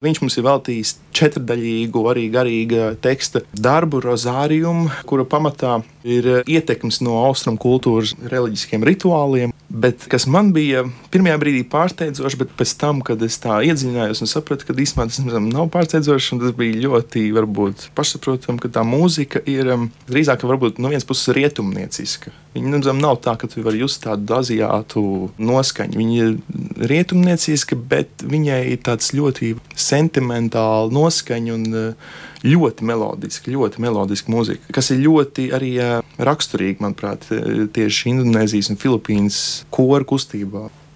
Viņš mums ir veltījis 4-daļīgu, arī garīga teksta darbu, rozāriumu, kura pamatā ir ietekmes no austrumu kultūras reliģiskiem rituāliem. Bet kas man bija pirmajā brīdī pārsteidzoši, bet pēc tam, kad es tā iedziļinājos un sapratu, ka īstenībā tas nav pārsteidzoši, un tas bija ļoti varbūt pašsaprotam, ka tā mūzika ir drīzāk varbūt no vienas puses rietumnieciska. Viņa nav tā, ka tu vari just tādu aziātu noskaņu. Viņa ir rietumnieciska, bet viņai ir tāds ļoti sentimentāla noskaņa un ļoti melodiska mūzika, kas ir ļoti arī raksturīga, manuprāt, tieši Indonēzijas un Filipīnas koru kustībā.